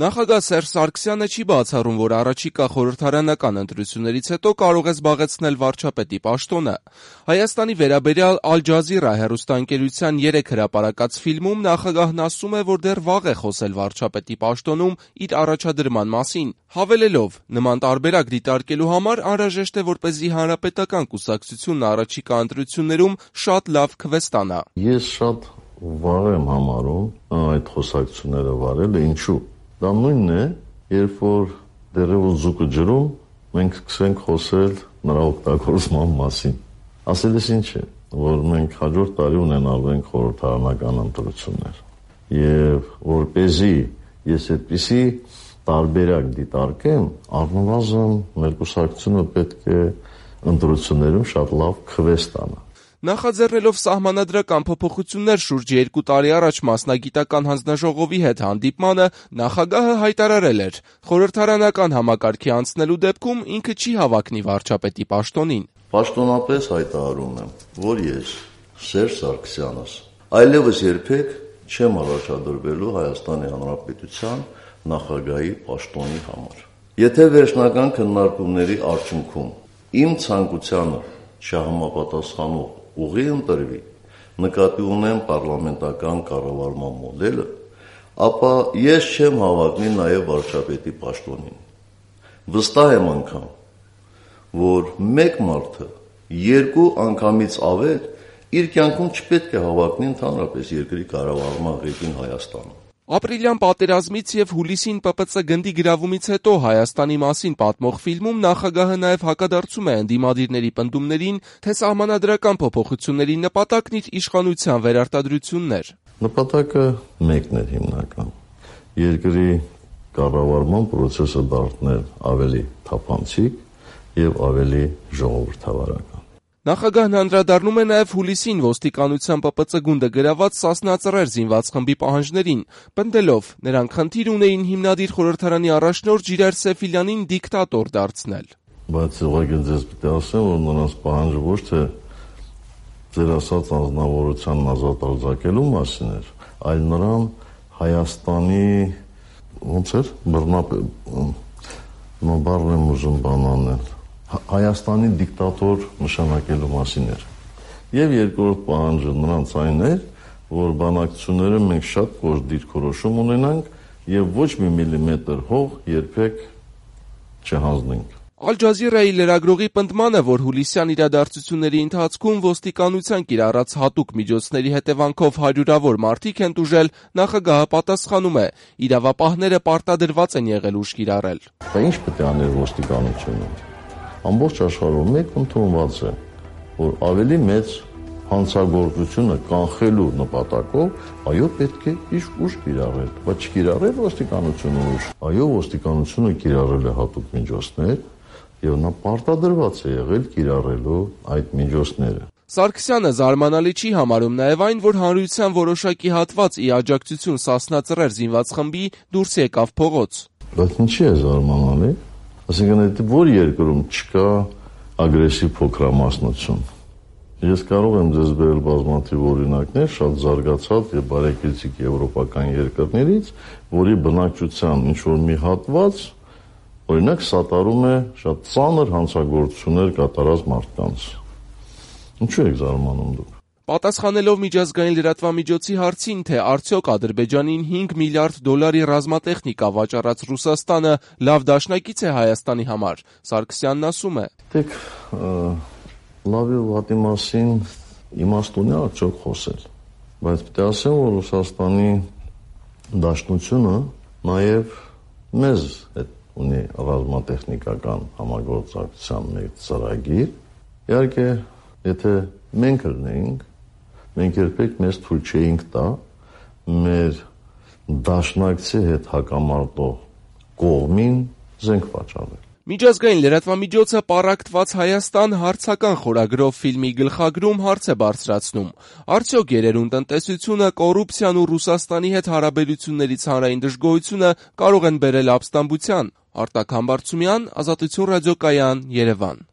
Նախագահ Սերժ Սարգսյանը չի բացառում, որ առաջիկա խորհրդարանական ընտրություններից հետո կարող է զբաղեցնել վարչապետի պաշտոնը։ Հայաստանի վերաբերյալ Ալ Ջազիրա հեռուստաընկերության 3 հրապարակած ֆիլմում նախագահն ասում է, որ դեռ վաղ է խոսել վարչապետի պաշտոնում իր առաջադրման մասին, հավելելով. նման տարբերակ դիտարկելու համար անհրաժեշտ է, որպեսզի Հանրապետական կուսակցությունն առաջիկա ընտրություններում շատ լավ քվե ստանա։ Ես շատ վաղ եմ համարում այդ խոսակցությունները վարել, ինչու։ Դա նույնն է, երբ որ դեռևս ձուկը ջրում, մենք սկսենք խոսել նրա օգտագործման մասին։ Ասելիս ինչ է, որ մենք հաջորդ տարի ունենալու ենք խորհրդարանական ընտրություններ։ Եվ որպեսզի ես այդպիսի տարբերակ դիտարկեմ, առնվազն մեր կուսակցությունը պետք է ընտրություններում շատ լավ քվե ստանա։ Նախաձեռնելով սահմանադրական փոփոխություններ շուրջ 2 տարի առաջ մասնագիտական հանձնաժողովի հետ հանդիպմանը, նախագահը հայտարարել էր. խորհրդարանական համակարգի անցնելու դեպքում ինքը չի հավակնի վարչապետի պաշտոնին։ Պաշտոնապես հայտարարում եմ, որ ես, Սերժ Սարգսյանս, այլևս երբեք չեմ առաջադրվելու Հայաստանի Հանրապետության նախագահի պաշտոնի համար։ Եթե վերջնական քննարկումների արդյունքում իմ ցանկությանը չհամապատասխանող ուղի ընտրվի, նկատի ունեմ պարլամենտական կառավարման մոդելը, ապա ես չեմ հավակնի նաև վարչապետի պաշտոնին։ Վստահ եմ անգամ, որ մեկ մարդը 2 անգամից ավել իր կյանքում չպետք է հավակնի ընդհանրապես երկրի կառավարման ղեկին Հայաստանում։ Ապրիլյան պատերազմից եւ հուլիսին ՊՊՑ գնդի գրավումից հետո Հայաստանի մասին պատմող ֆիլմում նախագահը նաև հակադարձում է ընդդիմադիրների պնդումներին, թե սահմանադրական փոփոխությունների նպատակն իր իշխանության վերարտադրությունն էր։ Նպատակը մեկն էր հիմնական։ Երկրի կառավարման process-ը դարձնել ավելի թափանցիկ եւ ավելի ժողովրդավարական։ Նախագահն անդրադառնում է նաև հուլիսին ոստիկանության ՊՊՑ գունդը գրաված Սասնա Ծռեր զինված խմբի պահանջներին, պնդելով. նրանք խնդիր ունեին հիմնադիր խորհրդարանի առաջնորդ Ժիրայր Սեֆիլյանին դիկտատոր դարձնել։ Բայց ուղղակի ձեզ պետք է ասեմ, որ նրանց պահանջը ոչ թե ձեր ասած անձնավորությանն ազատ արձակելու մասին էր, այլ նրան Հայաստանի ոնց էր բառն եմ ուզում բանանել Հայաստանի դիկտատոր նշանակելու մասին էր։ Եվ երկրորդ պահանջը նրանց այն էր, որ բանակցությունները մենք շատ կոշտ դիրքորոշում ունենանք եւ ոչ մի միլիմետր հող երբեք չհանձնենք։ Ալ Ջազիրայի լրագրողի պնդմանը, որ հուլիսյան իրադարձությունների ընթացքում ոստիկանության կիրառած հատուկ միջոցների հետևանքով հարյուրավոր մարդիկ են տուժել, նախագահը պատասխանում է. իրավապահները պարտադրված են եղել ուժ կիրառել։ Բայց ինչ պետք է աներ ոստիկանությունը։ Ամբողջ աշխարհում մեկ ընդունված է, որ ավելի մեծ հանցագործությունը կանխելու նպատակով, այո, պետք է ուժ կիրառել, բայց չկիրառել ոստիկանությունը ուժ։ Այո, ոստիկանությունը կիրառել է հատուկ միջոցներ, եւ նա պարտադրված է եղել կիրառելու այդ միջոցները։ Սարգսյանը զարմանալի չի համարում նաև այն, որ հանրության որոշակի հատված ի աջակցություն Սասնա Ծռեր զինված խմբի դուրս եկավ փողոց։ Բայց ինչի է զարմանալի։ Այսինքն, որ երկրում չկա ագրեսիվ փոքրամասնություն։ Ես կարող եմ ձեզ բերել բազմաթիվ օրինակներ շատ զարգացած եւ բարեկեցիկ եվրոպական երկրներից, որի բնակչության ինչ-որ մի հատված, օրինակ, սատարում է շատ ծանր հանցագործություններ կատարած մարդկանց։ Ինչու եք զարմանում դուք։ Պատասխանելով միջազգային լրատվամիջոցի հարցին, թե արդյոք Ադրբեջանին $5 միլիարդ ռազմատեխնիկա վաճառած Ռուսաստանը լավ դաշնակից է Հայաստանի համար, Սարգսյանն ասում է. Դեք լավ եւ վատի մասին իմաստուն է արդյոք խոսել, բայց պետք է ասեմ, որ Ռուսաստանի դաշնությունը նաեւ մեզ հետ ունի ռազմատեխնիկական համագործակցության մեծ ծրագիր։ Իհարկե, եթե մենք լինեինք, մենք երբեք մեզ թույլ չէինք տա մեր դաշնակցի հետ հակամարտող կողմին զենք վաճառել։ Միջազգային լրատվամիջոցը «Պառակտված Հայաստան» հարցական խորագրով ֆիլմի գլխագրում հարց է բարձրացնում. արդյոք երերուն տնտեսությունը, կոռուպցիան ու Ռուսաստանի հետ հարաբերությունների հանրային դժգոհությունը կարող են բերել ապստամբության։ Արտակ Համբարձումյան, Ազատություն ռադիոկայան, Երևան։